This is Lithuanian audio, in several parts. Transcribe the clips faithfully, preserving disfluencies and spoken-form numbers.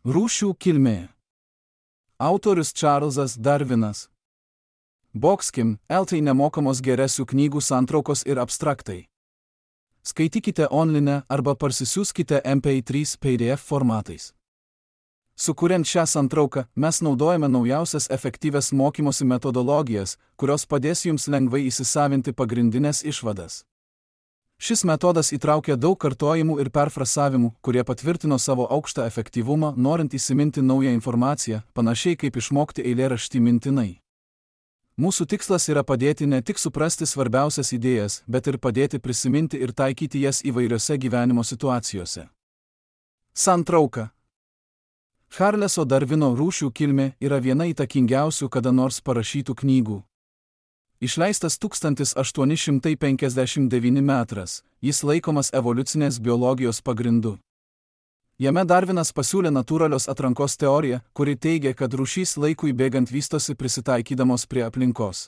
Rūšių kilmė. Autorius Čarlzas Darvinas. Boxkim, eltai nemokamos geresių knygų santraukos ir abstraktai. Skaitykite online arba parsisiųskite M P trys P D F formatais. Sukuriant šią santrauką, mes naudojame naujausias efektyvias mokymosi metodologijas, kurios padės jums lengvai įsisavinti pagrindinės išvadas. Šis metodas įtraukia daug kartojimų ir perfrasavimų, kurie patvirtino savo aukštą efektyvumą, norint įsiminti naują informaciją, panašiai kaip išmokti eilėraštį mintinai. Mūsų tikslas yra padėti ne tik suprasti svarbiausias idėjas, bet ir padėti prisiminti ir taikyti jas įvairiose gyvenimo situacijose. Santrauka. Charleso Darvino Rūšių kilmė yra viena įtakingiausių kada nors parašytų knygų. Išleistas tūkstantis aštuoni šimtai penkiasdešimt devinti metras, jis laikomas evoliucinės biologijos pagrindu. Jame Darvinas pasiūlė natūralios atrankos teoriją, kuri teigia, kad rūšys laikui bėgant vystosi prisitaikydamos prie aplinkos.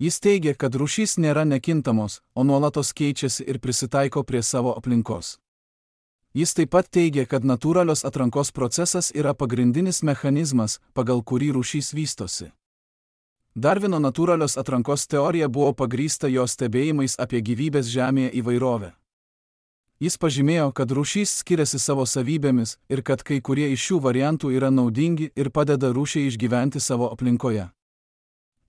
Jis teigia, kad rūšys nėra nekintamos, o nuolatos keičiasi ir prisitaiko prie savo aplinkos. Jis taip pat teigia, kad natūralios atrankos procesas yra pagrindinis mechanizmas, pagal kurį rūšys vystosi. Darvino natūralios atrankos teorija buvo pagrįsta jo stebėjimais apie gyvybės Žemėje įvairovę. Jis pažymėjo, kad rūšys skiriasi savo savybėmis ir kad kai kurie iš šių variantų yra naudingi ir padeda rūšiai išgyventi savo aplinkoje.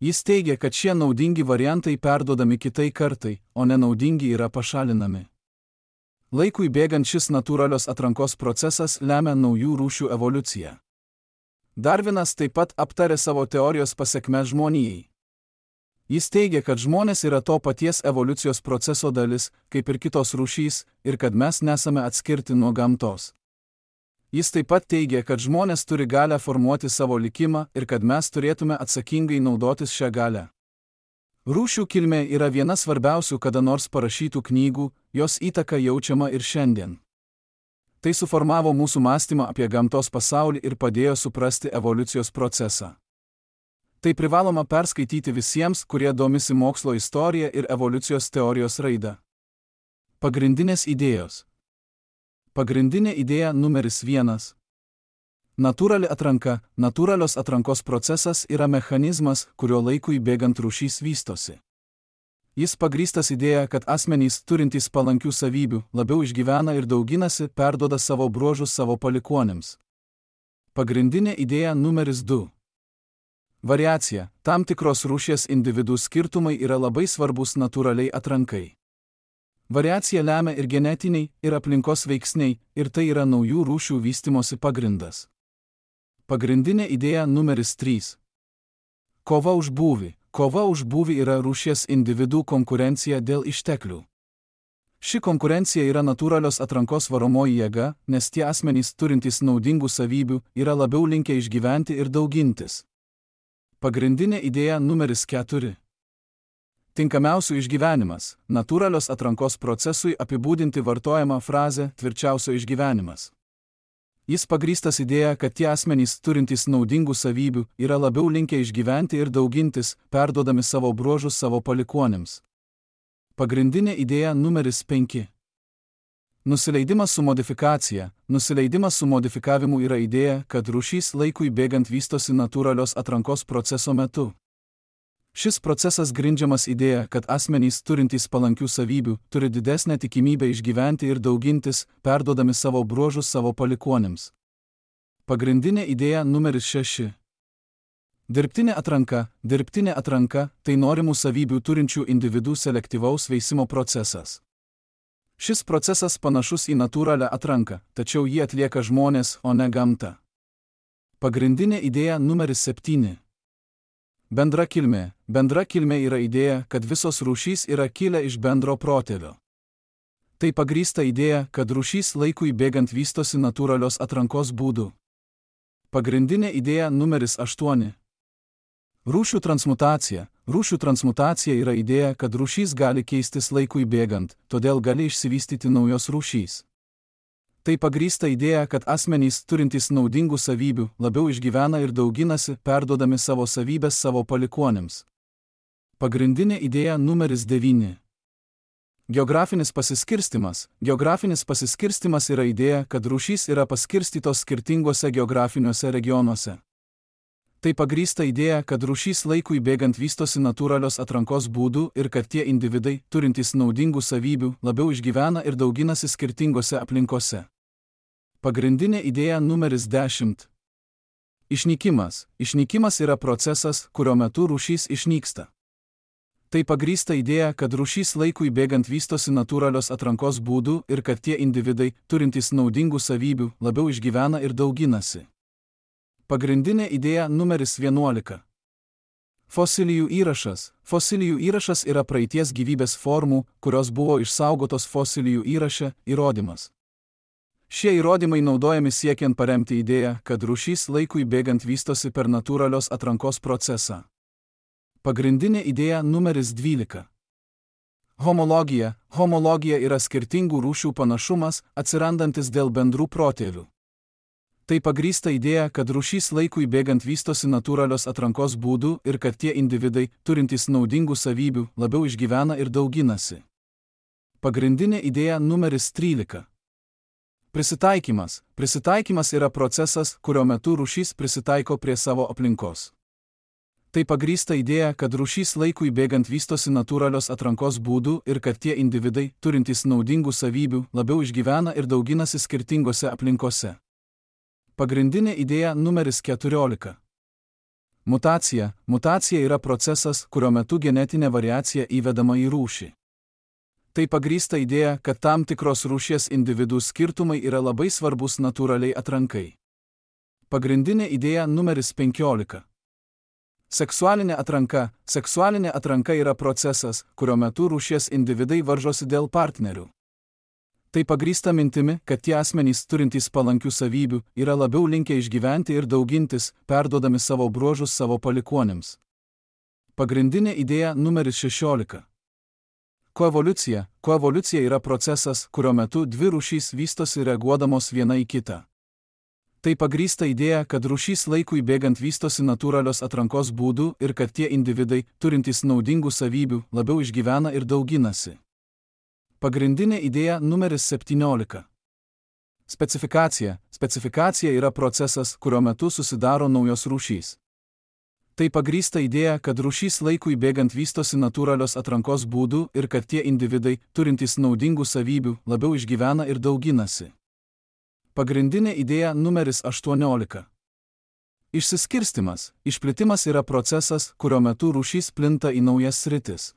Jis teigia, kad šie naudingi variantai perduodami kitai kartai, o nenaudingi yra pašalinami. Laikui bėgant šis natūralios atrankos procesas lemia naujų rūšių evoliuciją. Darvinas taip pat aptarė savo teorijos pasekmes žmonijai. Jis teigia, kad žmonės yra to paties evoliucijos proceso dalis, kaip ir kitos rūšys, ir kad mes nesame atskirti nuo gamtos. Jis taip pat teigia, kad žmonės turi galią formuoti savo likimą ir kad mes turėtume atsakingai naudotis šią galią. Rūšių kilmė yra viena svarbiausių kada nors parašytų knygų, jos įtaka jaučiama ir šiandien. Tai suformavo mūsų mąstymą apie gamtos pasaulį ir padėjo suprasti evoliucijos procesą. Tai privaloma perskaityti visiems, kurie domisi mokslo istorija ir evoliucijos teorijos raida. Pagrindinės idėjos. Pagrindinė idėja numeris vienas. Natūrali atranka. Natūralios atrankos procesas yra mechanizmas, kurio laikui bėgant rūšys vystosi. Jis pagrįstas idėja, kad asmenys turintys palankių savybių labiau išgyvena ir dauginasi, perduoda savo bruožus savo palikuonėms. Pagrindinė idėja numeris du. Variacija. Tam tikros rūšies individų skirtumai yra labai svarbus natūraliai atrankai. Variacija lemia ir genetiniai, ir aplinkos veiksniai, ir tai yra naujų rūšių vystimosi pagrindas. Pagrindinė idėja numeris trys. Kova už būvį. Kova už būvį yra rūšies individų konkurencija dėl išteklių. Ši konkurencija yra natūralios atrankos varomoji jėga, nes tie asmenys turintys naudingų savybių yra labiau linkę išgyventi ir daugintis. Pagrindinė idėja numeris keturi. Tinkamiausių išgyvenimas. Natūralios atrankos procesui apibūdinti vartojama frazė tvirčiausio išgyvenimas. Jis pagrįstas idėja, kad tie asmenys turintys naudingų savybių yra labiau linkę išgyventi ir daugintis, perduodami savo bruožus savo palikuonėms. Pagrindinė idėja numeris penki. Nusileidimas su modifikacija. Nusileidimas su modifikavimu yra idėja, kad rūšys laikui bėgant vystosi natūralios atrankos proceso metu. Šis procesas grindžiamas idėja, kad asmenys turintys palankių savybių turi didesnę tikimybę išgyventi ir daugintis, perduodami savo bruožus savo palikuonėms. Pagrindinė idėja numeris šeši. Dirbtinė atranka. Dirbtinė atranka – tai norimų savybių turinčių individų selektyvaus veisimo procesas. Šis procesas panašus į natūralią atranką, tačiau jį atlieka žmonės, o ne gamta. Pagrindinė idėja numeris septyni. Bendra kilmė. Bendra kilmė yra idėja, kad visos rūšys yra kilę iš bendro protėvio. Tai pagrįsta idėja, kad rūšys laikui bėgant vystosi natūralios atrankos būdu. Pagrindinė idėja numeris aštuoni. Rūšių transmutacija. Rūšių transmutacija yra idėja, kad rūšys gali keistis laikui bėgant, todėl gali išsivystyti naujos rūšys. Tai pagrįsta idėja, kad asmenys turintys naudingų savybių labiau išgyvena ir dauginasi, perduodami savo savybės savo palikuonėms. Pagrindinė idėja numeris devyni. Geografinis pasiskirstimas. Geografinis pasiskirstimas yra idėja, kad rūšys yra paskirstytos skirtinguose geografiniuose regionuose. Tai pagrįsta idėja, kad rūšys laikui bėgant vystosi natūralios atrankos būdų ir kad tie individai, turintys naudingų savybių, labiau išgyvena ir dauginasi skirtingose aplinkose. Pagrindinė idėja numeris dešimt. Išnykimas. Išnykimas yra procesas, kurio metu rūšys išnyksta. Tai pagrįsta idėja, kad rūšys laikui bėgant vystosi natūralios atrankos būdų ir kad tie individai, turintys naudingų savybių, labiau išgyvena ir dauginasi. Pagrindinė idėja numeris vienuolika. Fosilijų įrašas. Fosilijų įrašas yra praeities gyvybės formų, kurios buvo išsaugotos fosilijų įraše, įrodymas. Šie įrodymai naudojami siekiant paremti idėją, kad rūšys laikui bėgant vystosi per natūralios atrankos procesą. Pagrindinė idėja numeris dvylika. Homologija. Homologija yra skirtingų rūšių panašumas, atsirandantis dėl bendrų protėvių. Tai pagrįsta idėja, kad rūšys laikui bėgant vystosi natūralios atrankos būdų ir kad tie individai, turintys naudingų savybių, labiau išgyvena ir dauginasi. Pagrindinė idėja numeris trylika. Prisitaikymas. Prisitaikymas yra procesas, kurio metu rūšys prisitaiko prie savo aplinkos. Tai pagrįsta idėja, kad rūšys laikui bėgant vystosi natūralios atrankos būdų ir kad tie individai, turintys naudingų savybių, labiau išgyvena ir dauginasi skirtingose aplinkose. Pagrindinė idėja numeris keturiolika. Mutacija. Mutacija yra procesas, kurio metu genetinė variacija įvedama į rūšį. Tai pagrįsta idėja, kad tam tikros rūšies individų skirtumai yra labai svarbus natūraliai atrankai. Pagrindinė idėja numeris penkiolika. Seksualinė atranka. Seksualinė atranka yra procesas, kurio metu rūšies individai varžosi dėl partnerių. Tai pagrįsta mintimi, kad tie asmenys turintys palankių savybių yra labiau linkę išgyventi ir daugintis, perduodami savo bruožus savo palikuonims. Pagrindinė idėja numeris šešiolika. Koevoliucija. Koevoliucija yra procesas, kurio metu dvi rūšys vystosi reaguodamos viena į kitą. Tai pagrįsta idėja, kad rūšys laikui bėgant vystosi natūralios atrankos būdų ir kad tie individai, turintys naudingų savybių, labiau išgyvena ir dauginasi. Pagrindinė idėja numeris septyniolika. Specifikacija. Specifikacija yra procesas, kurio metu susidaro naujos rūšys. Tai pagrįsta idėja, kad rūšys laikui bėgant vystosi natūralios atrankos būdų ir kad tie individai, turintys naudingų savybių, labiau išgyvena ir dauginasi. Pagrindinė idėja numeris aštuoniolika. Išsiskirstimas. Išplitimas yra procesas, kurio metu rūšys plinta į naujas sritis.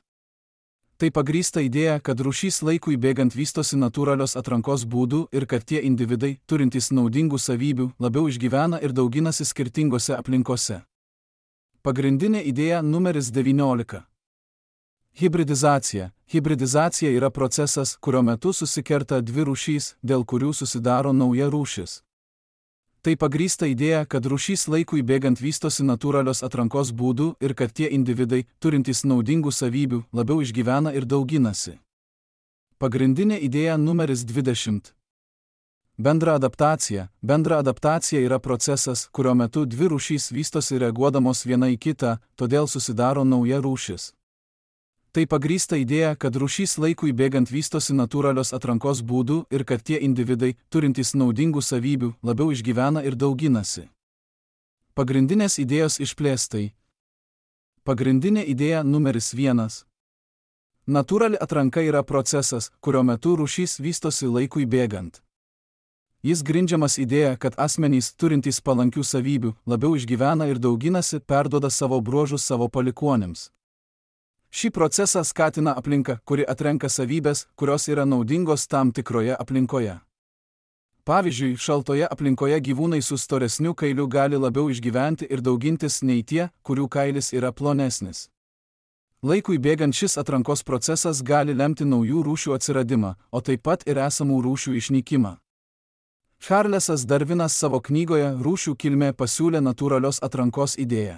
Tai pagrįsta idėja, kad rūšys laikui bėgant vystosi natūralios atrankos būdų ir kad tie individai, turintys naudingų savybių, labiau išgyvena ir dauginasi skirtingose aplinkose. Pagrindinė idėja numeris devyniolika. Hibridizacija. Hibridizacija yra procesas, kurio metu susikerta dvi rūšys, dėl kurių susidaro nauja rūšis. Tai pagrįsta idėja, kad rūšys laikui bėgant vystosi natūralios atrankos būdų ir kad tie individai, turintys naudingų savybių, labiau išgyvena ir dauginasi. Pagrindinė idėja numeris dvidešimt. Bendra adaptacija. Bendra adaptacija yra procesas, kurio metu dvi rūšys vystosi reaguodamos viena į kitą, todėl susidaro nauja rūšis. Tai pagrįsta idėja, kad rūšys laikui bėgant vystosi natūralios atrankos būdų ir kad tie individai, turintys naudingų savybių, labiau išgyvena ir dauginasi. Pagrindinės idėjos išplėstai. Pagrindinė idėja numeris vienas. Natūrali atranka yra procesas, kurio metu rūšys vystosi laikui bėgant. Jis grindžiamas idėja, kad asmenys, turintys palankių savybių, labiau išgyvena ir dauginasi, perduoda savo bruožus savo palikuonims. Šį procesą skatina aplinka, kuri atrenka savybės, kurios yra naudingos tam tikroje aplinkoje. Pavyzdžiui, šaltoje aplinkoje gyvūnai su storesniu kailiu gali labiau išgyventi ir daugintis nei tie, kurių kailis yra plonesnis. Laikui bėgant šis atrankos procesas gali lemti naujų rūšių atsiradimą, o taip pat ir esamų rūšių išnykimą. Charlesas Darvinas savo knygoje Rūšių kilmė pasiūlė natūralios atrankos idėją.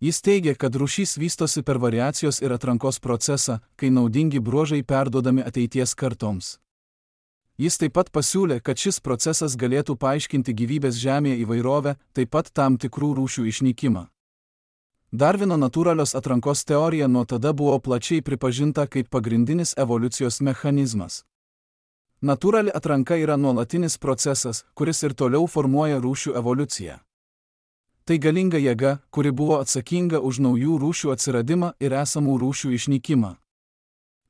Jis teigia, kad rūšys vystosi per variacijos ir atrankos procesą, kai naudingi bruožai perduodami ateities kartoms. Jis taip pat pasiūlė, kad šis procesas galėtų paaiškinti gyvybės žemėje įvairovę, taip pat tam tikrų rūšių išnykimą. Darvino natūralios atrankos teorija nuo tada buvo plačiai pripažinta kaip pagrindinis evoliucijos mechanizmas. Natūrali atranka yra nuolatinis procesas, kuris ir toliau formuoja rūšių evoliuciją. Tai galinga jėga, kuri buvo atsakinga už naujų rūšių atsiradimą ir esamų rūšių išnykimą.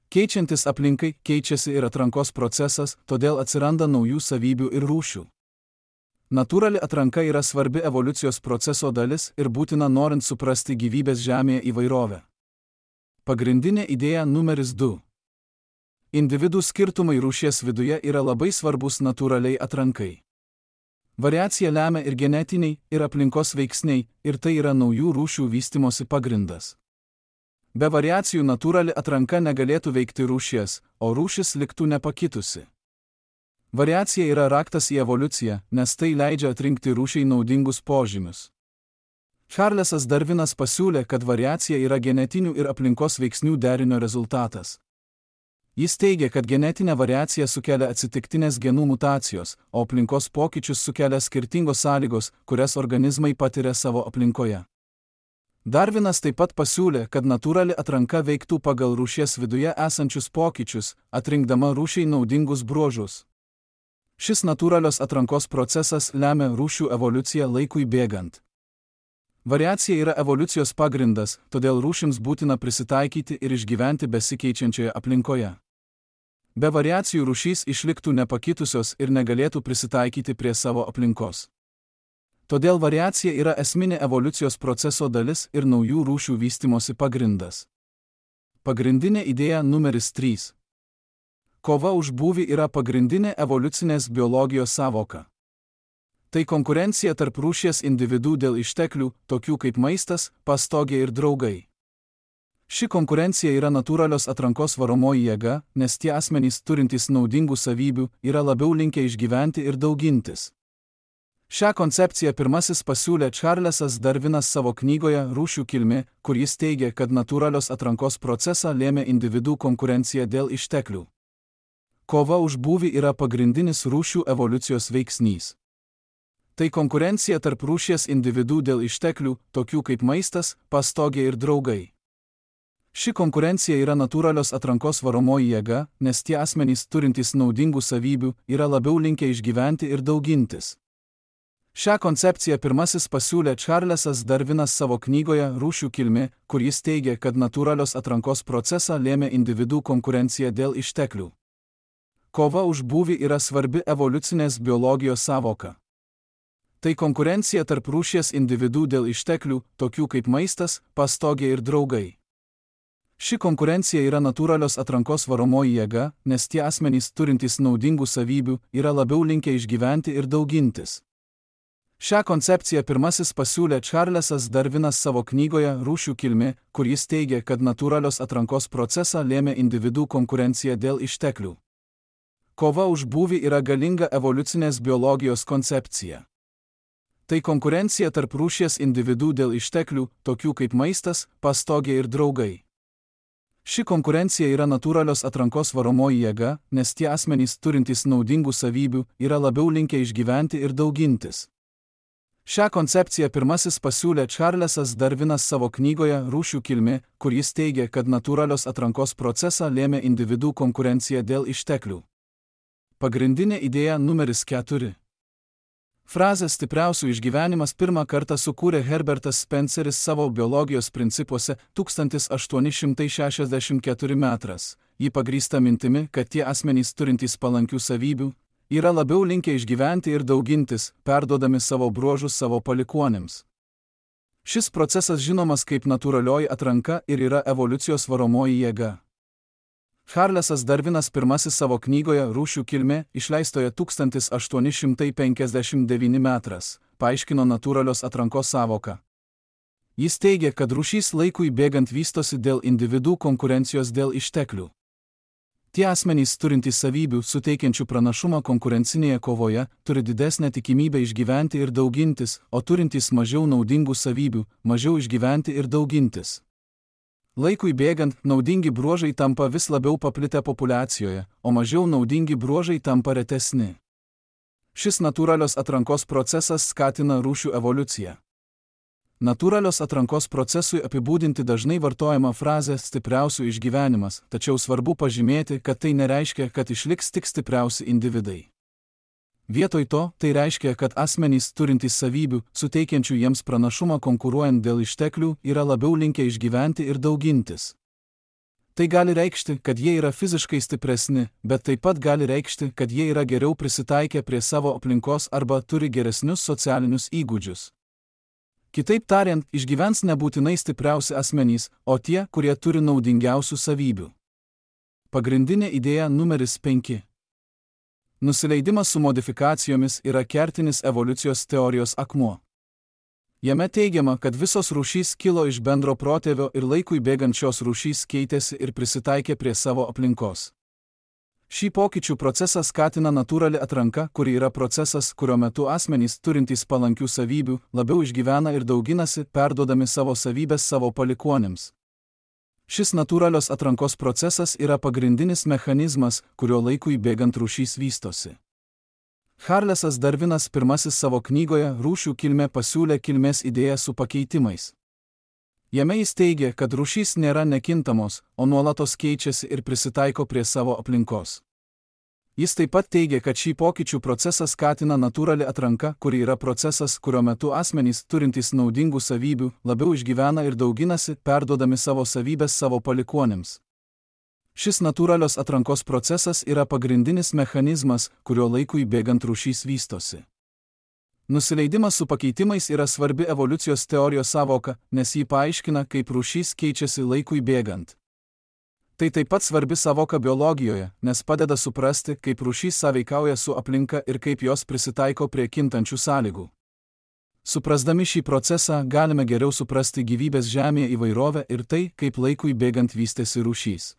Keičiantis aplinkai, keičiasi ir atrankos procesas, todėl atsiranda naujų savybių ir rūšių. Natūrali atranka yra svarbi evoliucijos proceso dalis ir būtina norint suprasti gyvybės Žemėje įvairovę. Pagrindinė idėja numeris du. Individų skirtumai rūšies viduje yra labai svarbus natūraliai atrankai. Variacija lemia ir genetiniai, ir aplinkos veiksniai, ir tai yra naujų rūšių vystimosi pagrindas. Be variacijų natūrali atranka negalėtų veikti rūšies, o rūšis liktų nepakitusi. Variacija yra raktas į evoliuciją, nes tai leidžia atrinkti rūšiai naudingus požymius. Charlesas Darvinas pasiūlė, kad variacija yra genetinių ir aplinkos veiksnių derinio rezultatas. Jis teigia, kad genetinė variacija sukelia atsitiktinės genų mutacijos, o aplinkos pokyčius sukelia skirtingos sąlygos, kurias organizmai patiria savo aplinkoje. Darvinas taip pat pasiūlė, kad natūrali atranka veiktų pagal rūšies viduje esančius pokyčius, atrinkdama rūšiai naudingus bruožus. Šis natūralios atrankos procesas lemia rūšių evoliuciją laikui bėgant. Variacija yra evoliucijos pagrindas, todėl rūšims būtina prisitaikyti ir išgyventi besikeičiančioje aplinkoje. Be variacijų rūšys išliktų nepakitusios ir negalėtų prisitaikyti prie savo aplinkos. Todėl variacija yra esminė evoliucijos proceso dalis ir naujų rūšių vystimosi pagrindas. Pagrindinė idėja numeris trys. Kova už būvį yra pagrindinė evoliucinės biologijos sąvoka. Tai konkurencija tarp rūšies individų dėl išteklių, tokių kaip maistas, pastogė ir draugai. Ši konkurencija yra natūralios atrankos varomoji jėga, nes tie asmenys turintys naudingų savybių yra labiau linkę išgyventi ir daugintis. Šią koncepciją pirmasis pasiūlė Charlesas Darvinas savo knygoje Rūšių kilmė, kur jis teigia, kad natūralios atrankos procesą lėmė individų konkurencija dėl išteklių. Kova už būvį yra pagrindinis rūšių evoliucijos veiksnys. Tai konkurencija tarp rūšies individų dėl išteklių, tokių kaip maistas, pastogė ir draugai. Ši konkurencija yra natūralios atrankos varomoji jėga, nes tie asmenys turintys naudingų savybių yra labiau linkę išgyventi ir daugintis. Šią koncepciją pirmasis pasiūlė Charlesas Darvinas savo knygoje Rūšių kilmė, kur jis teigia, kad natūralios atrankos procesą lėmė individų konkurencija dėl išteklių. Kova už būvį yra svarbi evoliucinės biologijos sąvoka. Tai konkurencija tarp rūšies individų dėl išteklių, tokių kaip maistas, pastogė ir draugai. Ši konkurencija yra natūralios atrankos varomoji jėga, nes tie asmenys turintys naudingų savybių yra labiau linkę išgyventi ir daugintis. Šią koncepciją pirmasis pasiūlė Charlesas Darvinas savo knygoje Rūšių kilmė, kur jis teigia, kad natūralios atrankos procesą lėmė individų konkurencija dėl išteklių. Kova už būvį yra galinga evoliucinės biologijos koncepcija. Tai konkurencija tarp rūšies individų dėl išteklių, tokių kaip maistas, pastogė ir draugai. Ši konkurencija yra natūralios atrankos varomoji jėga, nes tie asmenys turintys naudingų savybių yra labiau linkę išgyventi ir daugintis. Šią koncepciją pirmasis pasiūlė Charlesas Darvinas savo knygoje Rūšių kilmė, kur jis teigia, kad natūralios atrankos procesą lėmė individų konkurencija dėl išteklių. Pagrindinė idėja numeris keturi. Frazę stipriausių išgyvenimas pirmą kartą sukūrė Herbertas Spenceris savo biologijos principuose tūkstantis aštuoni šimtai šešiasdešimt keturi metras. Ji pagrįsta mintimi, kad tie asmenys turintys palankių savybių yra labiau linkę išgyventi ir daugintis, perduodami savo bruožus savo palikuonėms. Šis procesas žinomas kaip natūralioji atranka ir yra evoliucijos varomoji jėga. Charlesas Darvinas pirmasis savo knygoje Rūšių kilmė, išleistoje tūkstantis aštuoni šimtai penkiasdešimt devyni metras, paaiškino natūralios atrankos sąvoką. Jis teigia, kad rūšys laikui bėgant vystosi dėl individų konkurencijos dėl išteklių. Tie asmenys turintys savybių, suteikiančių pranašumą konkurencinėje kovoje, turi didesnę tikimybę išgyventi ir daugintis, o turintys mažiau naudingų savybių, mažiau išgyventi ir daugintis. Laikui bėgant, naudingi bruožai tampa vis labiau paplitę populiacijoje, o mažiau naudingi bruožai tampa retesni. Šis natūralios atrankos procesas skatina rūšių evoliuciją. Natūralios atrankos procesui apibūdinti dažnai vartojama frazė stipriausių išgyvenimas, tačiau svarbu pažymėti, kad tai nereiškia, kad išliks tik stipriausi individai. Vietoj to, tai reiškia, kad asmenys turintys savybių, suteikiančių jiems pranašumą konkuruojant dėl išteklių, yra labiau linkę išgyventi ir daugintis. Tai gali reikšti, kad jie yra fiziškai stipresni, bet taip pat gali reikšti, kad jie yra geriau prisitaikę prie savo aplinkos arba turi geresnius socialinius įgūdžius. Kitaip tariant, išgyvens nebūtinai stipriausi asmenys, o tie, kurie turi naudingiausių savybių. Pagrindinė idėja numeris penki. Nusileidimas su modifikacijomis yra kertinis evoliucijos teorijos akmuo. Jame teigiama, kad visos rūšys kilo iš bendro protėvio ir laikui bėgant šios rūšys keitėsi ir prisitaikė prie savo aplinkos. Šį pokyčių procesą skatina natūrali atranka, kuri yra procesas, kurio metu asmenys turintys palankių savybių labiau išgyvena ir dauginasi, perduodami savo savybės savo palikuonėms. Šis natūralios atrankos procesas yra pagrindinis mechanizmas, kurio laikui bėgant rūšys vystosi. Charlesas Darvinas pirmasis savo knygoje Rūšių kilmė pasiūlė kilmės idėją su pakeitimais. Jame jis teigia, kad rūšys nėra nekintamos, o nuolatos keičiasi ir prisitaiko prie savo aplinkos. Jis taip pat teigia, kad šį pokyčių procesą skatina natūrali atranka, kuri yra procesas, kurio metu asmenys turintys naudingų savybių labiau išgyvena ir dauginasi, perduodami savo savybės savo palikuonėms. Šis natūralios atrankos procesas yra pagrindinis mechanizmas, kurio laikui bėgant rūšys vystosi. Nusileidimas su pakeitimais yra svarbi evoliucijos teorijos sąvoka, nes jį paaiškina, kaip rūšys keičiasi laikui bėgant. Tai taip pat svarbi sąvoka biologijoje, nes padeda suprasti, kaip rūšys sąveikauja su aplinka ir kaip jos prisitaiko prie kintančių sąlygų. Suprasdami šį procesą, galime geriau suprasti gyvybės Žemėje įvairovę ir tai, kaip laikui bėgant vystėsi rūšys.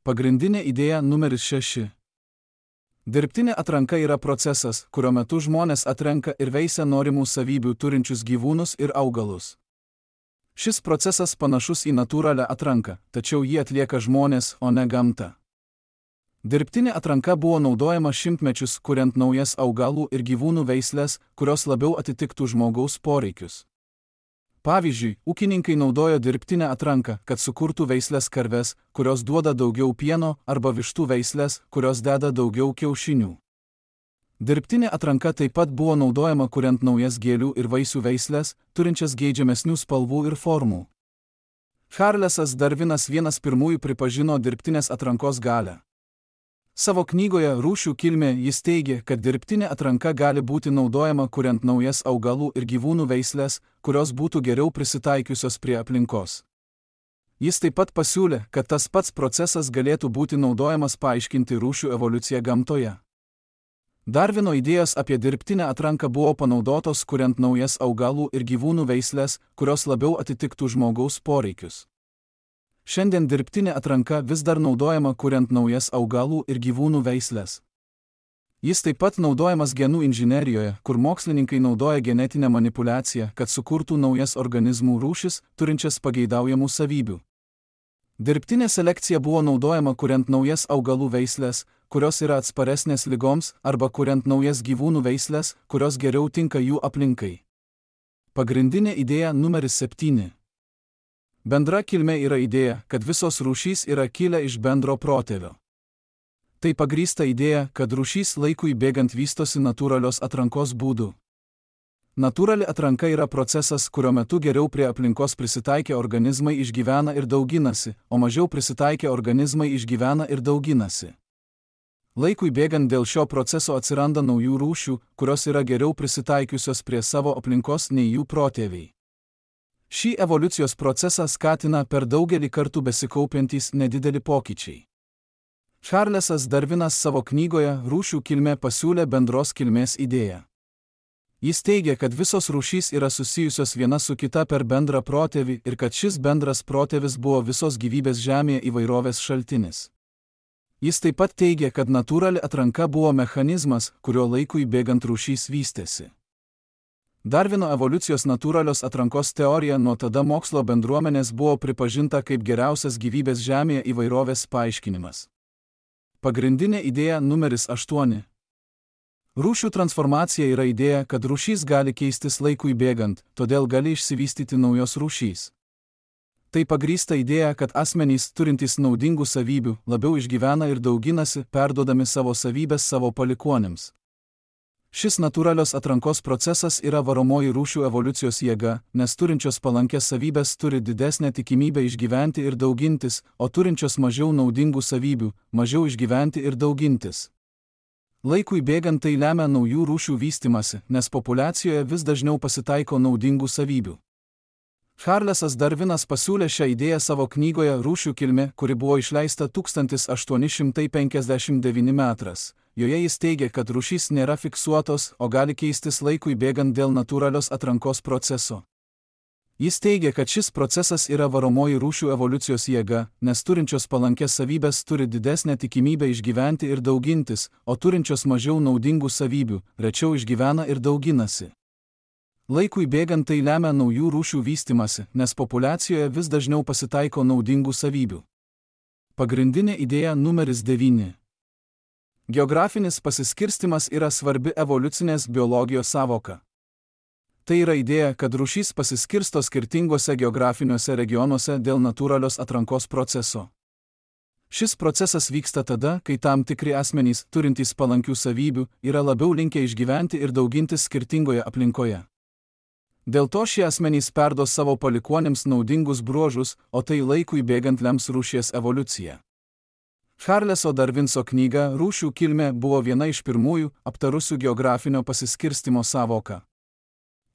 Pagrindinė idėja numeris šeši. Dirbtinė atranka yra procesas, kurio metu žmonės atrenka ir veisia norimų savybių turinčius gyvūnus ir augalus. Šis procesas panašus į natūralią atranką, tačiau jį atlieka žmonės, o ne gamta. Dirbtinė atranka buvo naudojama šimtmečius, kuriant naujas augalų ir gyvūnų veislės, kurios labiau atitiktų žmogaus poreikius. Pavyzdžiui, ūkininkai naudojo dirbtinę atranką, kad sukurtų veislės karves, kurios duoda daugiau pieno, arba vištų veislės, kurios deda daugiau kiaušinių. Dirbtinė atranka taip pat buvo naudojama kuriant naujas gėlių ir vaisių veislės, turinčias geidžiamesnių spalvų ir formų. Charlesas Darvinas vienas pirmųjų pripažino dirbtinės atrankos galią. Savo knygoje Rūšių kilmė jis teigė, kad dirbtinė atranka gali būti naudojama kuriant naujas augalų ir gyvūnų veislės, kurios būtų geriau prisitaikiusios prie aplinkos. Jis taip pat pasiūlė, kad tas pats procesas galėtų būti naudojamas paaiškinti rūšių evoliuciją gamtoje. Darvino idėjos apie dirbtinę atranką buvo panaudotos kuriant naujas augalų ir gyvūnų veislės, kurios labiau atitiktų žmogaus poreikius. Šiandien dirbtinė atranka vis dar naudojama kuriant naujas augalų ir gyvūnų veislės. Jis taip pat naudojamas genų inžinerijoje, kur mokslininkai naudoja genetinę manipulaciją, kad sukurtų naujas organizmų rūšis, turinčias pageidaujamų savybių. Dirbtinė selekcija buvo naudojama kuriant naujas augalų veislės, kurios yra atsparesnės ligoms, arba kuriant naujas gyvūnų veislės, kurios geriau tinka jų aplinkai. Pagrindinė idėja numeris septyni. Bendra kilmė yra idėja, kad visos rūšys yra kilę iš bendro protėvio. Tai pagrįsta idėja, kad rūšys laikui bėgant vystosi natūralios atrankos būdu. Natūrali atranka yra procesas, kurio metu geriau prie aplinkos prisitaikę organizmai išgyvena ir dauginasi, o mažiau prisitaikę organizmai išgyvena ir dauginasi. Laikui bėgant dėl šio proceso atsiranda naujų rūšių, kurios yra geriau prisitaikiusios prie savo aplinkos nei jų protėviai. Šį evoliucijos procesą skatina per daugelį kartų besikaupiantys nedideli pokyčiai. Charlesas Darvinas savo knygoje Rūšių kilmė pasiūlė bendros kilmės idėją. Jis teigia, kad visos rūšys yra susijusios viena su kita per bendrą protėvį ir kad šis bendras protėvis buvo visos gyvybės Žemėje įvairovės šaltinis. Jis taip pat teigia, kad natūrali atranka buvo mechanizmas, kurio laikui bėgant rūšys vystėsi. Darvino evoliucijos natūralios atrankos teorija nuo tada mokslo bendruomenės buvo pripažinta kaip geriausias gyvybės Žemėje įvairovės paaiškinimas. Pagrindinė idėja numeris aštuoni. Rūšių transformacija yra idėja, kad rūšys gali keistis laikui bėgant, todėl gali išsivystyti naujos rūšys. Tai pagrįsta idėja, kad asmenys turintys naudingų savybių labiau išgyvena ir dauginasi, perduodami savo savybės savo palikuonėms. Šis natūralios atrankos procesas yra varomoji rūšių evoliucijos jėga, nes turinčios palankės savybės turi didesnę tikimybę išgyventi ir daugintis, o turinčios mažiau naudingų savybių mažiau išgyventi ir daugintis. Laikui bėgant tai lemia naujų rūšių vystimasi, nes populiacijoje vis dažniau pasitaiko naudingų savybių. Charlesas Darvinas pasiūlė šią idėją savo knygoje Rūšių kilmė, kuri buvo išleista tūkstantis aštuoni šimtai penkiasdešimt devintais metais. Joje jis teigia, kad rūšys nėra fiksuotos, o gali keistis laikui bėgant dėl natūralios atrankos proceso. Jis teigia, kad šis procesas yra varomoji rūšių evoliucijos jėga, nes turinčios palankės savybės turi didesnę tikimybę išgyventi ir daugintis, o turinčios mažiau naudingų savybių rečiau išgyvena ir dauginasi. Laikui bėgant tai lemia naujų rūšių vystimasi, nes populiacijoje vis dažniau pasitaiko naudingų savybių. Pagrindinė idėja numeris devyni. Geografinis pasiskirstimas yra svarbi evoliucinės biologijos sąvoka. Tai yra idėja, kad rūšys pasiskirsto skirtingose geografiniuose regionuose dėl natūralios atrankos proceso. Šis procesas vyksta tada, kai tam tikri asmenys, turintys palankių savybių, yra labiau linkę išgyventi ir daugintis skirtingoje aplinkoje. Dėl to šie asmenys perduos savo palikuonėms naudingus bruožus, o tai laikui bėgant lems rūšies evoliuciją. Charleso Darvinso knyga Rūšių kilmė buvo viena iš pirmųjų aptarusių geografinio pasiskirstimo sąvoką.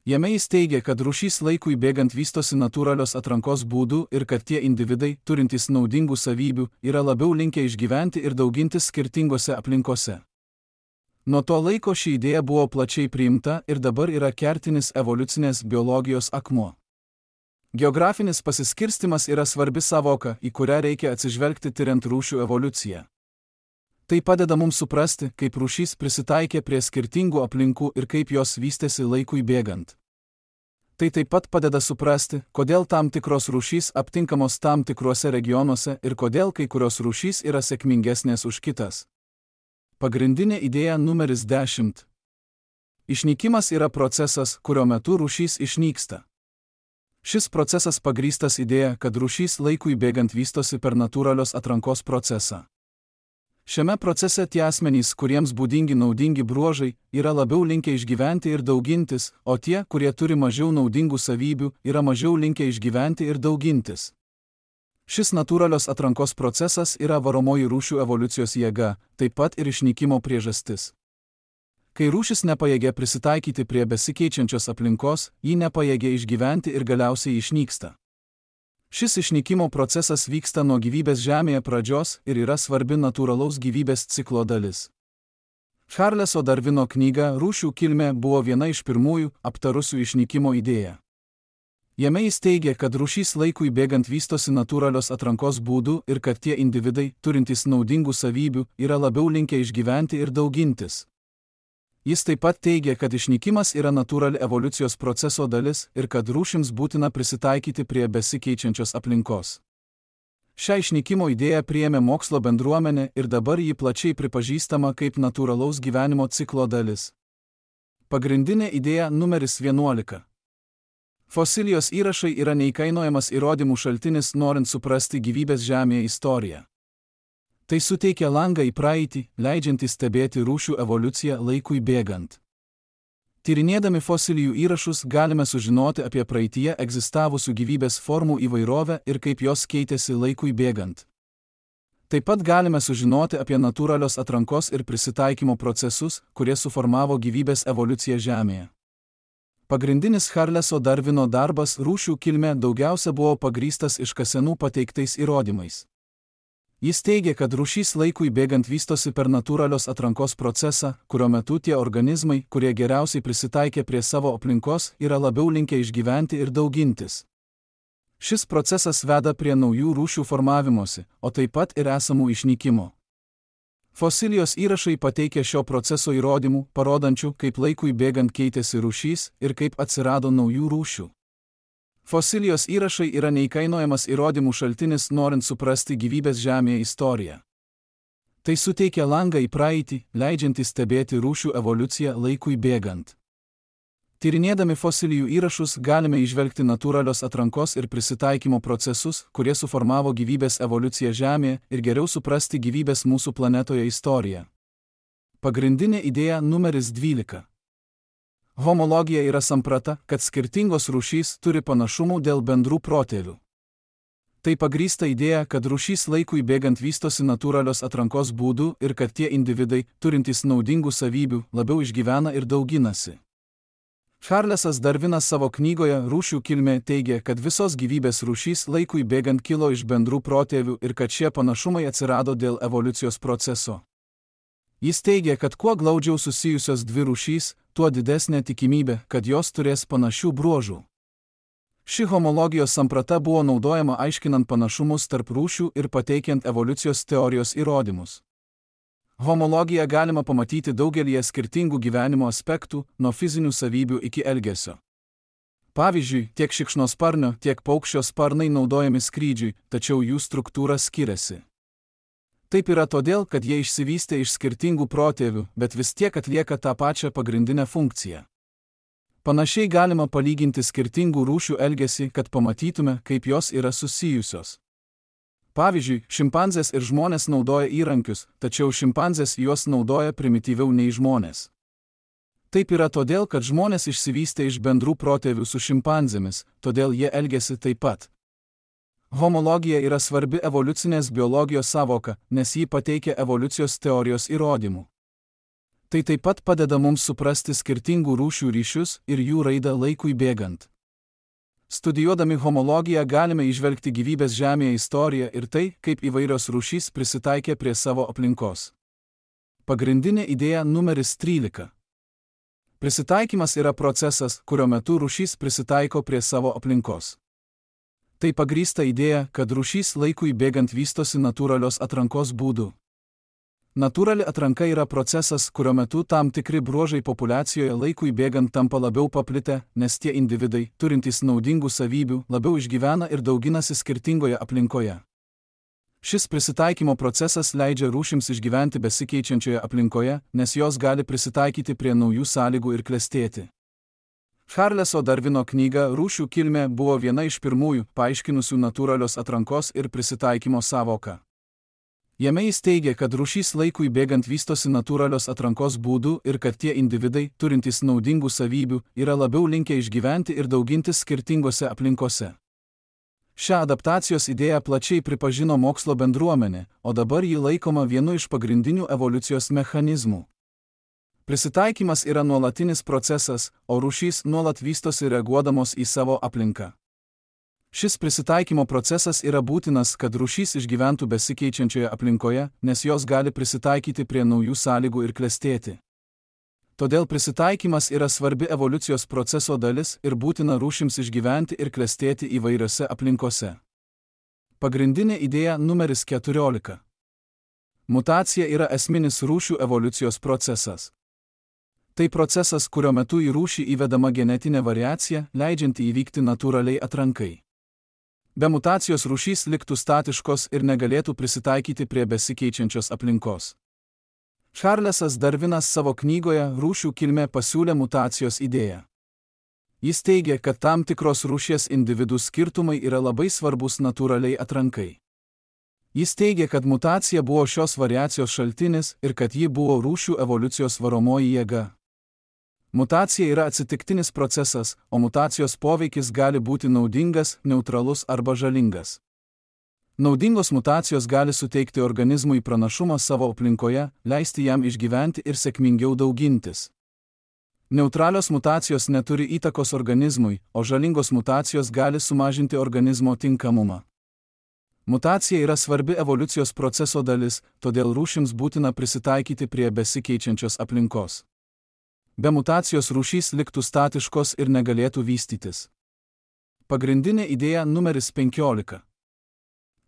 Jame jis teigia, kad rūšys laikui bėgant vystosi natūralios atrankos būdų ir kad tie individai, turintys naudingų savybių, yra labiau linkę išgyventi ir daugintis skirtingose aplinkose. Nuo to laiko ši idėja buvo plačiai priimta ir dabar yra kertinis evoliucinės biologijos akmuo. Geografinis pasiskirstimas yra svarbi sąvoka, į kurią reikia atsižvelgti tiriant rūšių evoliuciją. Tai padeda mums suprasti, kaip rūšys prisitaikė prie skirtingų aplinkų ir kaip jos vystėsi laikui bėgant. Tai taip pat padeda suprasti, kodėl tam tikros rūšys aptinkamos tam tikruose regionuose ir kodėl kai kurios rūšys yra sėkmingesnės už kitas. Pagrindinė idėja numeris dešimt. Išnykimas yra procesas, kurio metu rūšys išnyksta. Šis procesas pagrįstas idėja, kad rūšys laikui bėgant vystosi per natūralios atrankos procesą. Šiame procese tie asmenys, kuriems būdingi naudingi bruožai, yra labiau linkę išgyventi ir daugintis, o tie, kurie turi mažiau naudingų savybių, yra mažiau linkę išgyventi ir daugintis. Šis natūralios atrankos procesas yra varomoji rūšių evoliucijos jėga, taip pat ir išnykimo priežastis. Kai rūšis nepajėgia prisitaikyti prie besikeičiančios aplinkos, ji nepajėgia išgyventi ir galiausiai išnyksta. Šis išnykimo procesas vyksta nuo gyvybės Žemėje pradžios ir yra svarbi natūralaus gyvybės ciklo dalis. Charleso Darvino knyga Rūšių kilmė buvo viena iš pirmųjų aptarusių išnykimo idėją. Jame jis teigia, kad rūšys laikui bėgant vystosi natūralios atrankos būdų ir kad tie individai, turintys naudingų savybių, yra labiau linkę išgyventi ir daugintis. Jis taip pat teigia, kad išnykimas yra natūrali evoliucijos proceso dalis ir kad rūšims būtina prisitaikyti prie besikeičiančios aplinkos. Šią išnykimo idėją priėmė mokslo bendruomenė ir dabar ji plačiai pripažįstama kaip natūralaus gyvenimo ciklo dalis. Pagrindinė idėja numeris vienuolika. Fosilijos įrašai yra neįkainojamas įrodymų šaltinis norint suprasti gyvybės Žemėje istoriją. Tai suteikia langą į praeitį, leidžiantį stebėti rūšių evoliuciją laikui bėgant. Tyrinėdami fosilijų įrašus galime sužinoti apie praeityje egzistavusių gyvybės formų įvairovę ir kaip jos keitėsi laikui bėgant. Taip pat galime sužinoti apie natūralios atrankos ir prisitaikymo procesus, kurie suformavo gyvybės evoliuciją Žemėje. Pagrindinis Charleso Darvino darbas Rūšių kilmė daugiausia buvo pagrįstas iškasenų pateiktais įrodymais. Jis teigia, kad rūšys laikui bėgant vystosi per natūralios atrankos procesą, kurio metu tie organizmai, kurie geriausiai prisitaikė prie savo aplinkos, yra labiau linkę išgyventi ir daugintis. Šis procesas veda prie naujų rūšių formavimosi, o taip pat ir esamų išnykimo. Fosilijos įrašai pateikia šio proceso įrodymų, parodančių, kaip laikui bėgant keitėsi rūšys ir kaip atsirado naujų rūšių. Fosilijos įrašai yra neįkainojamas įrodymų šaltinis norint suprasti gyvybės Žemėje istoriją. Tai suteikia langą į praeitį, leidžiantį stebėti rūšių evoliuciją laikui bėgant. Tyrinėdami fosilijų įrašus galime įžvelgti natūralios atrankos ir prisitaikymo procesus, kurie suformavo gyvybės evoliuciją Žemėje ir geriau suprasti gyvybės mūsų planetoje istoriją. Pagrindinė idėja numeris dvylika. Homologija yra samprata, kad skirtingos rūšys turi panašumų dėl bendrų protėvių. Tai pagrįsta idėja, kad rūšys laikui bėgant vystosi natūralios atrankos būdų ir kad tie individai, turintys naudingų savybių, labiau išgyvena ir dauginasi. Charlesas Darvinas savo knygoje Rūšių kilmė teigia, kad visos gyvybės rūšys laikui bėgant kilo iš bendrų protėvių ir kad šie panašumai atsirado dėl evoliucijos proceso. Jis teigia, kad kuo glaudžiau susijusios dvi rūšys, tuo didesnė tikimybė, kad jos turės panašių bruožų. Ši homologijos samprata buvo naudojama aiškinant panašumus tarp rūšių ir pateikiant evoliucijos teorijos įrodymus. Homologiją galima pamatyti daugelyje skirtingų gyvenimo aspektų, nuo fizinių savybių iki elgesio. Pavyzdžiui, tiek šikšnosparnio, tiek paukščio sparnai naudojami skrydžiui, tačiau jų struktūra skiriasi. Taip yra todėl, kad jie išsivystė iš skirtingų protėvių, bet vis tiek atlieka tą pačią pagrindinę funkciją. Panašiai galima palyginti skirtingų rūšių elgesį, kad pamatytume, kaip jos yra susijusios. Pavyzdžiui, šimpanzės ir žmonės naudoja įrankius, tačiau šimpanzės juos naudoja primityviau nei žmonės. Taip yra todėl, kad žmonės išsivystė iš bendrų protėvių su šimpanzėmis, todėl jie elgiasi taip pat. Homologija yra svarbi evoliucinės biologijos sąvoka, nes ji pateikia evoliucijos teorijos įrodymų. Tai taip pat padeda mums suprasti skirtingų rūšių ryšius ir jų raidą laikui bėgant. Studijuodami homologiją galime įžvelgti gyvybės Žemėje istoriją ir tai, kaip įvairios rūšys prisitaikė prie savo aplinkos. Pagrindinė idėja numeris trylika. Prisitaikymas yra procesas, kurio metu rūšys prisitaiko prie savo aplinkos. Tai pagrįsta idėja, kad rūšys laikui bėgant vystosi natūralios atrankos būdu. Natūrali atranka yra procesas, kurio metu tam tikri bruožai populiacijoje laikui bėgant tampa labiau paplitę, nes tie individai, turintys naudingų savybių, labiau išgyvena ir dauginasi skirtingoje aplinkoje. Šis prisitaikymo procesas leidžia rūšims išgyventi besikeičiančioje aplinkoje, nes jos gali prisitaikyti prie naujų sąlygų ir klestėti. Charleso Darvino knyga Rūšių kilmė buvo viena iš pirmųjų, paaiškinusių natūralios atrankos ir prisitaikymo sąvoką. Jame jis teigia, kad rūšys laikui bėgant vystosi natūralios atrankos būdų ir kad tie individai, turintys naudingų savybių, yra labiau linkę išgyventi ir daugintis skirtingose aplinkose. Šią adaptacijos idėją plačiai pripažino mokslo bendruomenė, o dabar ji laikoma vienu iš pagrindinių evoliucijos mechanizmų. Prisitaikymas yra nuolatinis procesas, o rūšys nuolat vystosi reaguodamos į savo aplinką. Šis prisitaikymo procesas yra būtinas, kad rūšys išgyventų besikeičiančioje aplinkoje, nes jos gali prisitaikyti prie naujų sąlygų ir klestėti. Todėl prisitaikymas yra svarbi evoliucijos proceso dalis ir būtina rūšims išgyventi ir klestėti įvairiose aplinkose. Pagrindinė idėja numeris keturiolika. Mutacija yra esminis rūšių evoliucijos procesas. Tai procesas, kurio metu į rūšį įvedama genetinė variacija, leidžianti įvykti natūraliai atrankai. Be mutacijos rūšys liktų statiškos ir negalėtų prisitaikyti prie besikeičiančios aplinkos. Charlesas Darvinas savo knygoje Rūšių kilmė pasiūlė mutacijos idėją. Jis teigia, kad tam tikros rūšies individų skirtumai yra labai svarbus natūraliai atrankai. Jis teigia, kad mutacija buvo šios variacijos šaltinis ir kad ji buvo rūšių evoliucijos varomoji jėga. Mutacija yra atsitiktinis procesas, o mutacijos poveikis gali būti naudingas, neutralus arba žalingas. Naudingos mutacijos gali suteikti organizmui pranašumą savo aplinkoje, leisti jam išgyventi ir sėkmingiau daugintis. Neutralios mutacijos neturi įtakos organizmui, o žalingos mutacijos gali sumažinti organizmo tinkamumą. Mutacija yra svarbi evoliucijos proceso dalis, todėl rūšims būtina prisitaikyti prie besikeičiančios aplinkos. Be mutacijos rūšys liktų statiškos ir negalėtų vystytis. Pagrindinė idėja numeris penkiolika.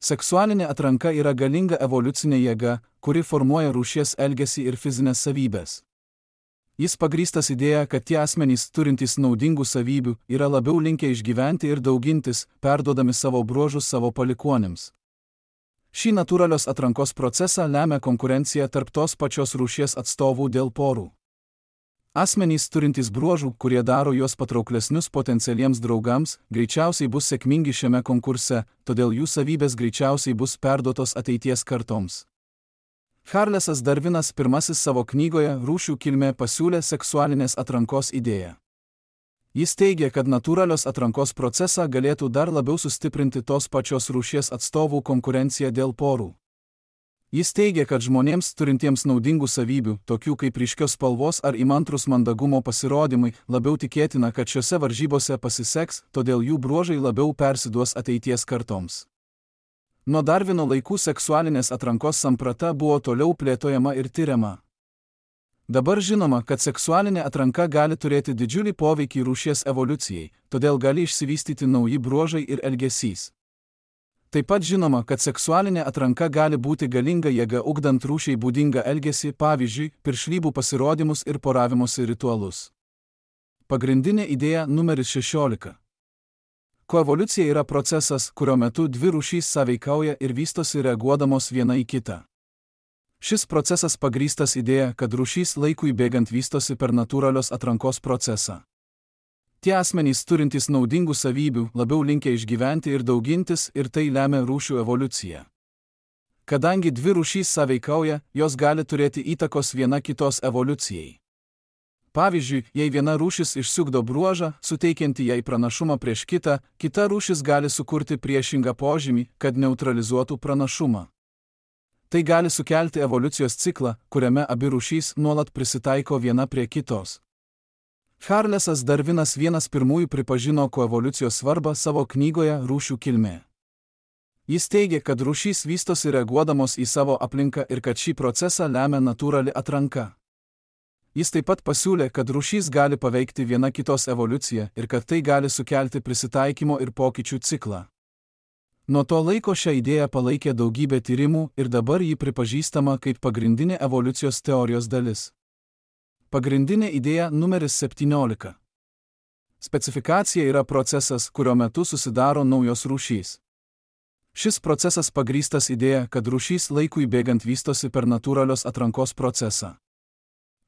Seksualinė atranka yra galinga evoliucinė jėga, kuri formuoja rūšies elgesį ir fizinės savybės. Jis pagrįstas idėja, kad tie asmenys turintys naudingų savybių yra labiau linkę išgyventi ir daugintis, perduodami savo bruožus savo palikuonims. Šį natūralios atrankos procesą lemia konkurencija tarp tos pačios rūšies atstovų dėl porų. Asmenys turintys bruožų, kurie daro juos patrauklesnius potencialiems draugams, greičiausiai bus sėkmingi šiame konkurse, todėl jų savybės greičiausiai bus perduotos ateities kartoms. Charlesas Darvinas pirmasis savo knygoje Rūšių kilmė pasiūlė seksualinės atrankos idėją. Jis teigia, kad natūralios atrankos procesą galėtų dar labiau sustiprinti tos pačios rūšies atstovų konkurencija dėl porų. Jis teigia, kad žmonėms turintiems naudingų savybių, tokių kaip ryškios spalvos ar įmantrus mandagumo pasirodymai, labiau tikėtina, kad šiose varžybose pasiseks, todėl jų bruožai labiau persiduos ateities kartoms. Nuo Darvino laikų seksualinės atrankos samprata buvo toliau plėtojama ir tyriama. Dabar žinoma, kad seksualinė atranka gali turėti didžiulį poveikį rūšies evoliucijai, todėl gali išsivystyti nauji bruožai ir elgesys. Taip pat žinoma, kad seksualinė atranka gali būti galinga jėga ugdant rūšiai būdingą elgesį, pavyzdžiui, piršlybų pasirodymus ir poravimosi ritualus. Pagrindinė idėja numeris šešiolika. Koevoliucija yra procesas, kurio metu dvi rūšys sąveikauja ir vystosi reaguodamos viena į kitą. Šis procesas pagrįstas idėja, kad rūšys laikui bėgant vystosi per natūralios atrankos procesą. Tie asmenys turintys naudingų savybių labiau linkę išgyventi ir daugintis, ir tai lemia rūšių evoliuciją. Kadangi dvi rūšys sąveikauja, jos gali turėti įtakos viena kitos evoliucijai. Pavyzdžiui, jei viena rūšis išsiugdo bruožą, suteikianti jai pranašumą prieš kitą, kita rūšis gali sukurti priešingą požymį, kad neutralizuotų pranašumą. Tai gali sukelti evoliucijos ciklą, kuriame abi rūšys nuolat prisitaiko viena prie kitos. Charlesas Darvinas vienas pirmųjų pripažino koevoliucijos svarbą savo knygoje Rūšių kilmė. Jis teigia, kad rūšys vystosi reaguodamos į savo aplinką ir kad šį procesą lemia natūrali atranka. Jis taip pat pasiūlė, kad rūšys gali paveikti viena kitos evoliuciją ir kad tai gali sukelti prisitaikymo ir pokyčių ciklą. Nuo to laiko šią idėją palaikė daugybė tyrimų ir dabar ji pripažįstama kaip pagrindinė evoliucijos teorijos dalis. Pagrindinė idėja numeris septyniolika. Specifikacija yra procesas, kurio metu susidaro naujos rūšys. Šis procesas pagrįstas idėja, kad rūšys laikui bėgant vystosi per natūralios atrankos procesą.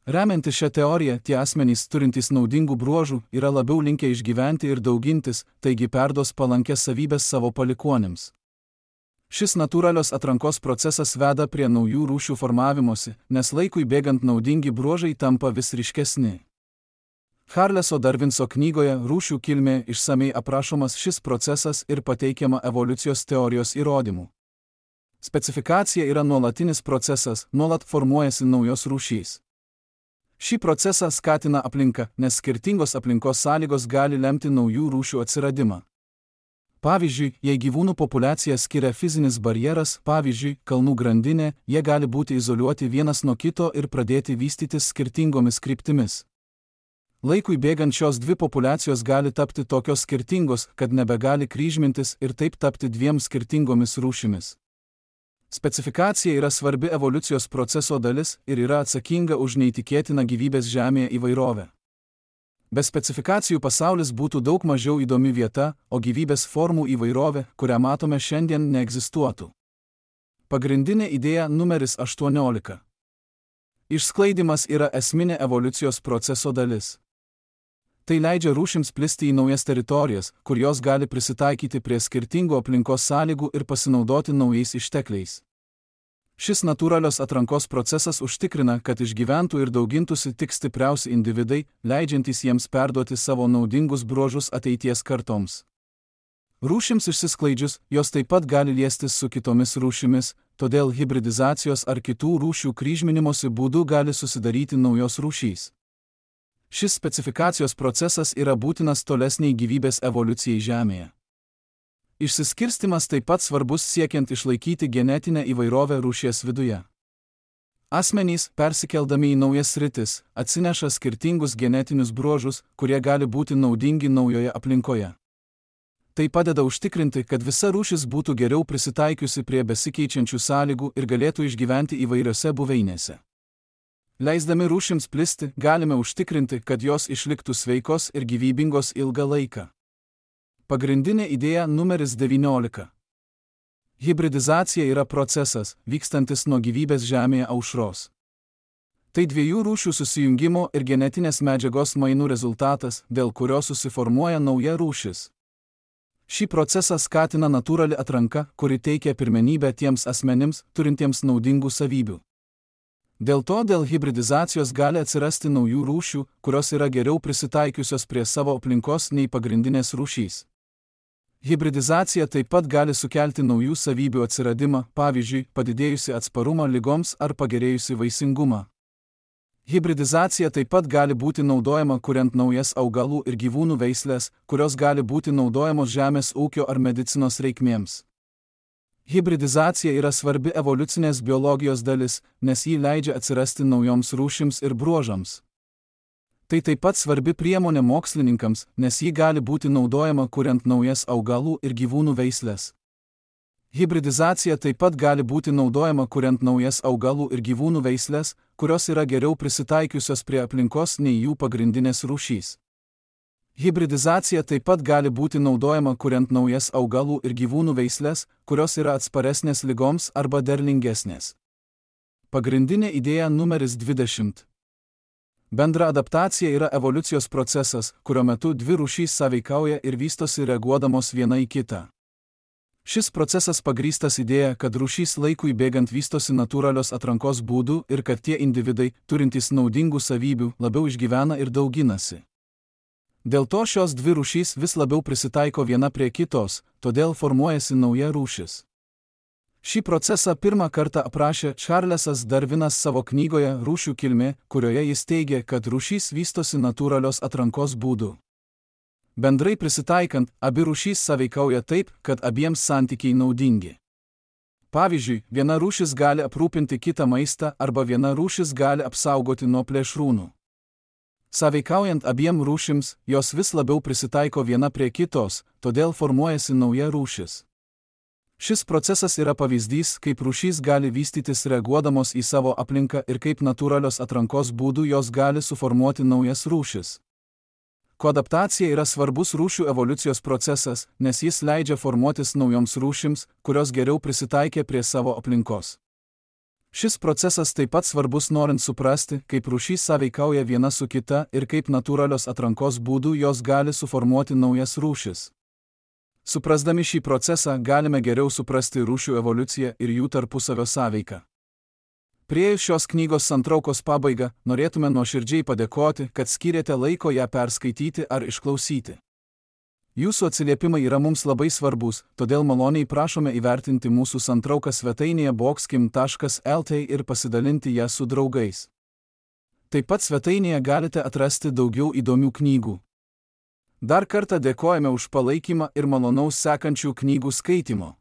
Remiantis šią teoriją, tie asmenys turintys naudingų bruožų yra labiau linkę išgyventi ir daugintis, taigi perduos palankės savybės savo palikuonims. Šis natūralios atrankos procesas veda prie naujų rūšių formavimosi, nes laikui bėgant naudingi bruožai tampa vis ryškesni. Charleso Darvinso knygoje Rūšių kilmė išsamei aprašomas šis procesas ir pateikiama evoliucijos teorijos įrodymų. Specifikacija yra nuolatinis procesas, nuolat formuojasi naujos rūšys. Šį procesą skatina aplinka, nes skirtingos aplinkos sąlygos gali lemti naujų rūšių atsiradimą. Pavyzdžiui, jei gyvūnų populiaciją skiria fizinis barjeras, pavyzdžiui, kalnų grandinė, jie gali būti izoliuoti vienas nuo kito ir pradėti vystytis skirtingomis kryptimis. Laikui bėgant šios dvi populiacijos gali tapti tokios skirtingos, kad nebegali kryžmintis ir taip tapti dviem skirtingomis rūšimis. Specifikacija yra svarbi evoliucijos proceso dalis ir yra atsakinga už neįtikėtiną gyvybės Žemėje įvairovę. Be specifikacijų pasaulis būtų daug mažiau įdomi vieta, o gyvybės formų įvairovė, kurią matome šiandien, neegzistuotų. Pagrindinė idėja numeris aštuoniolika. Išsklaidimas yra esminė evoliucijos proceso dalis. Tai leidžia rūšims plisti į naujas teritorijas, kur jos gali prisitaikyti prie skirtingų aplinkos sąlygų ir pasinaudoti naujais ištekliais. Šis natūralios atrankos procesas užtikrina, kad išgyventų ir daugintųsi tik stipriausi individai, leidžiantys jiems perduoti savo naudingus bruožus ateities kartoms. Rūšims išsisklaidžius, jos taip pat gali liestis su kitomis rūšimis, todėl hibridizacijos ar kitų rūšių kryžminimosi būdu gali susidaryti naujos rūšys. Šis specifikacijos procesas yra būtinas tolesniai gyvybės evoliucijai Žemėje. Išsiskirstimas taip pat svarbus siekiant išlaikyti genetinę įvairovę rūšies viduje. Asmenys, persikeldami į naujas sritis, atsineša skirtingus genetinius bruožus, kurie gali būti naudingi naujoje aplinkoje. Tai padeda užtikrinti, kad visa rūšis būtų geriau prisitaikiusi prie besikeičiančių sąlygų ir galėtų išgyventi įvairiose buveinėse. Leisdami rūšims plisti, galime užtikrinti, kad jos išliktų sveikos ir gyvybingos ilgą laiką. Pagrindinė idėja numeris devyniolika. Hibridizacija yra procesas, vykstantis nuo gyvybės Žemėje aušros. Tai dviejų rūšių susijungimo ir genetinės medžiagos mainų rezultatas, dėl kurio susiformuoja nauja rūšis. Šį procesą skatina natūrali atranka, kuri teikia pirmenybę tiems asmenims, turintiems naudingų savybių. Dėl to dėl hibridizacijos gali atsirasti naujų rūšių, kurios yra geriau prisitaikiusios prie savo aplinkos nei pagrindinės rūšys. Hibridizacija taip pat gali sukelti naujų savybių atsiradimą, pavyzdžiui, padidėjusi atsparumą ligoms ar pagerėjusi vaisingumą. Hibridizacija taip pat gali būti naudojama kuriant naujas augalų ir gyvūnų veislės, kurios gali būti naudojamos žemės ūkio ar medicinos reikmėms. Hibridizacija yra svarbi evoliucinės biologijos dalis, nes ji leidžia atsirasti naujoms rūšims ir bruožams. Tai taip pat svarbi priemonė mokslininkams, nes ji gali būti naudojama kuriant naujas augalų ir gyvūnų veislės. Hibridizacija taip pat gali būti naudojama kuriant naujas augalų ir gyvūnų veislės, kurios yra geriau prisitaikiusios prie aplinkos nei jų pagrindinės rūšys. Hibridizacija taip pat gali būti naudojama kuriant naujas augalų ir gyvūnų veislės, kurios yra atsparesnės ligoms arba derlingesnės. Pagrindinė idėja numeris dvidešimt. Bendra adaptacija yra evoliucijos procesas, kurio metu dvi rūšys sąveikauja ir vystosi reaguodamos viena į kitą. Šis procesas pagrįstas idėja, kad rūšys laikui bėgant vystosi natūralios atrankos būdų ir kad tie individai, turintys naudingų savybių, labiau išgyvena ir dauginasi. Dėl to šios dvi rūšys vis labiau prisitaiko viena prie kitos, todėl formuojasi nauja rūšis. Šį procesą pirmą kartą aprašė Čarlesas Darvinas savo knygoje Rūšių kilmė, kurioje jis teigė, kad rūšys vystosi natūralios atrankos būdu. Bendrai prisitaikant, abi rūšys sąveikauja taip, kad abiems santykiai naudingi. Pavyzdžiui, viena rūšis gali aprūpinti kitą maistą arba viena rūšis gali apsaugoti nuo plėšrūnų. Sąveikaujant abiem rūšims, jos vis labiau prisitaiko viena prie kitos, todėl formuojasi nauja rūšis. Šis procesas yra pavyzdys, kaip rūšys gali vystytis reaguodamos į savo aplinką ir kaip natūralios atrankos būdų jos gali suformuoti naujas rūšis. Koadaptacija yra svarbus rūšių evoliucijos procesas, nes jis leidžia formuotis naujoms rūšims, kurios geriau prisitaikė prie savo aplinkos. Šis procesas taip pat svarbus norint suprasti, kaip rūšys sąveikauja viena su kita ir kaip natūralios atrankos būdų jos gali suformuoti naujas rūšis. Suprasdami šį procesą galime geriau suprasti rūšių evoliuciją ir jų tarpusavio sąveiką. Priėjus šios knygos santraukos pabaigą, norėtume nuoširdžiai padėkoti, kad skyrėte laiko ją perskaityti ar išklausyti. Jūsų atsiliepimai yra mums labai svarbus, todėl maloniai prašome įvertinti mūsų santrauką svetainėje boxkim taškas lt ir pasidalinti ją su draugais. Taip pat svetainėje galite atrasti daugiau įdomių knygų. Dar kartą dėkojame už palaikymą ir malonaus sekančių knygų skaitimo.